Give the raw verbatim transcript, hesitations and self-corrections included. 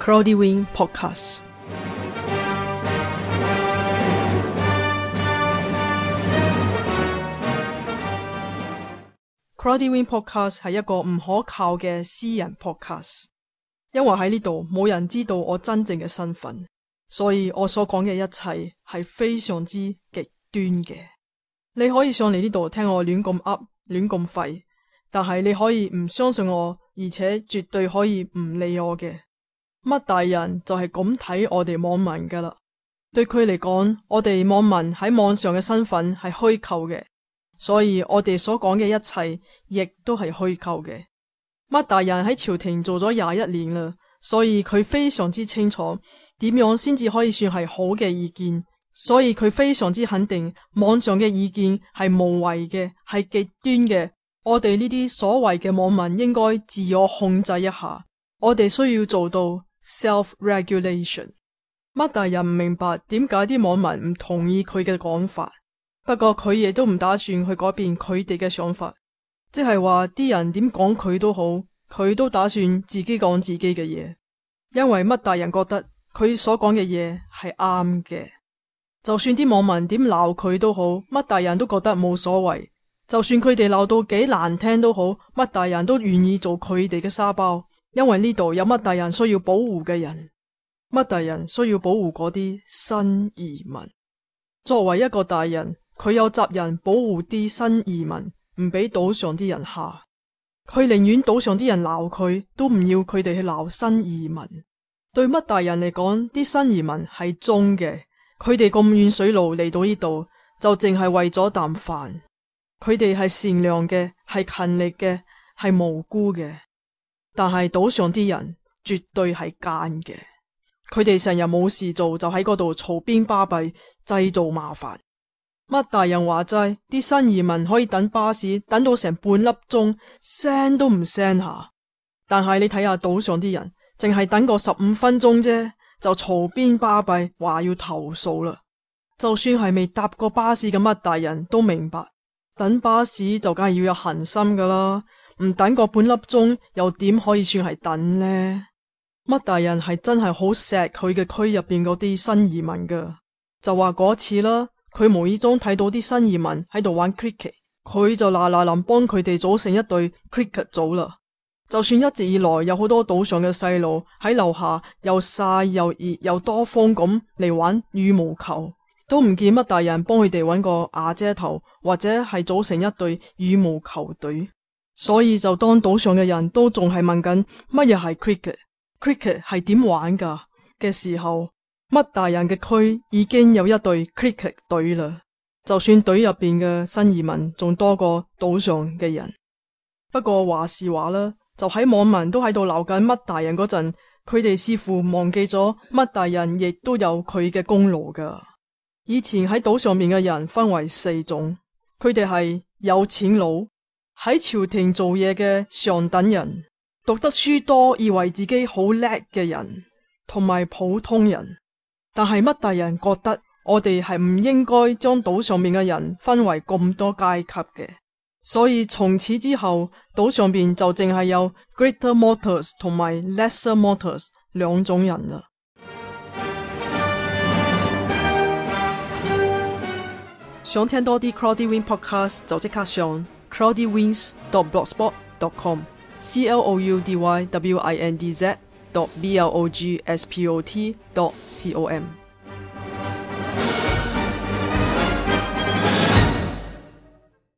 Cloudy Wing Podcast。Cloudy Wing Podcast 係一個唔可靠嘅私人 podcast， 因為喺呢度冇人知道我真正嘅身份，所以我所講嘅一切係非常之極端嘅。你可以上嚟呢度聽我亂咁噏亂咁廢，但係你可以唔相信我，而且絕對可以唔理我嘅。乜大人就係咁睇我哋網民噶啦，對佢嚟講，我哋網民喺網上嘅身份係虛構嘅，所以我哋所講嘅一切亦都係虛構嘅。乜大人喺朝廷做咗廿一年啦，所以佢非常之清楚點樣先至可以算係好嘅意見，所以佢非常之肯定網上嘅意見係無謂嘅，係極端嘅。我哋呢啲所謂嘅網民應該自我控制一下，我哋需要做到 self-regulation。 乜大人唔明白點解啲網民唔同意佢嘅講法，不過佢亦都唔打算去改變佢哋嘅想法，即係話啲人點講佢都好，佢都打算自己講自己嘅嘢，因為乜大人覺得佢所講嘅嘢係啱嘅。就算啲網民點鬧佢都好，乜大人都覺得冇所謂，就算佢哋鬧到幾難聽都好，乜大人都願意做佢哋嘅沙包，因為呢度有乜大人需要保護嘅人，乜大人需要保護嗰啲新移民。作為一個大人，佢有責任保護啲新移民，唔俾島上啲人蝦。佢寧願島上啲人鬧佢，都唔要佢哋去鬧新移民。對乜大人嚟講，啲新移民係忠嘅，佢哋咁遠水路嚟到呢度，就淨係為咗啖飯。佢哋係善良嘅，係勤力嘅，係無辜嘅。但係島上啲人絕對係奸嘅，佢哋成日冇事做就喺嗰度嘈邊巴閉，製造麻煩。乜大人話齋，啲新移民可以等巴士等到成半粒鐘，聲都唔聲下。但係你睇下島上啲人，淨係等個十五分鐘啫，就嘈邊巴閉，話要投訴啦。就算係未搭過巴士嘅乜大人都明白，等巴士就梗係要有恒心噶啦，唔等個半粒鐘又點可以算係等呢？乜大人係真係好錫佢嘅區入邊嗰啲新移民噶，就話嗰次啦，佢無意中睇到啲新移民喺度玩 cricket， 佢就嗱嗱臨幫佢哋組成一隊 cricket 組啦。就算一直以來有好多島上嘅細路喺樓下又曬又熱又多風咁嚟玩羽毛球，都唔見乜大人幫佢哋搵個瓦遮頭或者係組成一隊羽毛球隊。所以就當島上嘅人都仲係問緊乜嘢係 cricket cricket 係點玩噶嘅時候，乜大人嘅區已經有一隊 cricket 隊啦。就算隊入邊嘅新移民仲多過島上嘅人。不過話是話啦，就喺網民都喺度鬧緊乜大人嗰陣，佢哋似乎忘記咗乜大人亦都有佢嘅功勞噶。以前喺島上面嘅人分為四種，佢哋係有錢佬，喺朝廷做嘢嘅上等人，讀得書多以為自己好叻嘅人，同埋普通人。但係乜大人覺得我哋係唔應該將島上面嘅人分為咁多階級嘅，所以從此之後島上邊就淨係有 Greater Mortals 同埋 Lesser Mortals 兩種人啦。想聽多啲 Cloudy Wing Podcast 就即刻上 cloudy wings dot blogspot dot com c l o u d y w i n d z dot b l o g s p o t dot com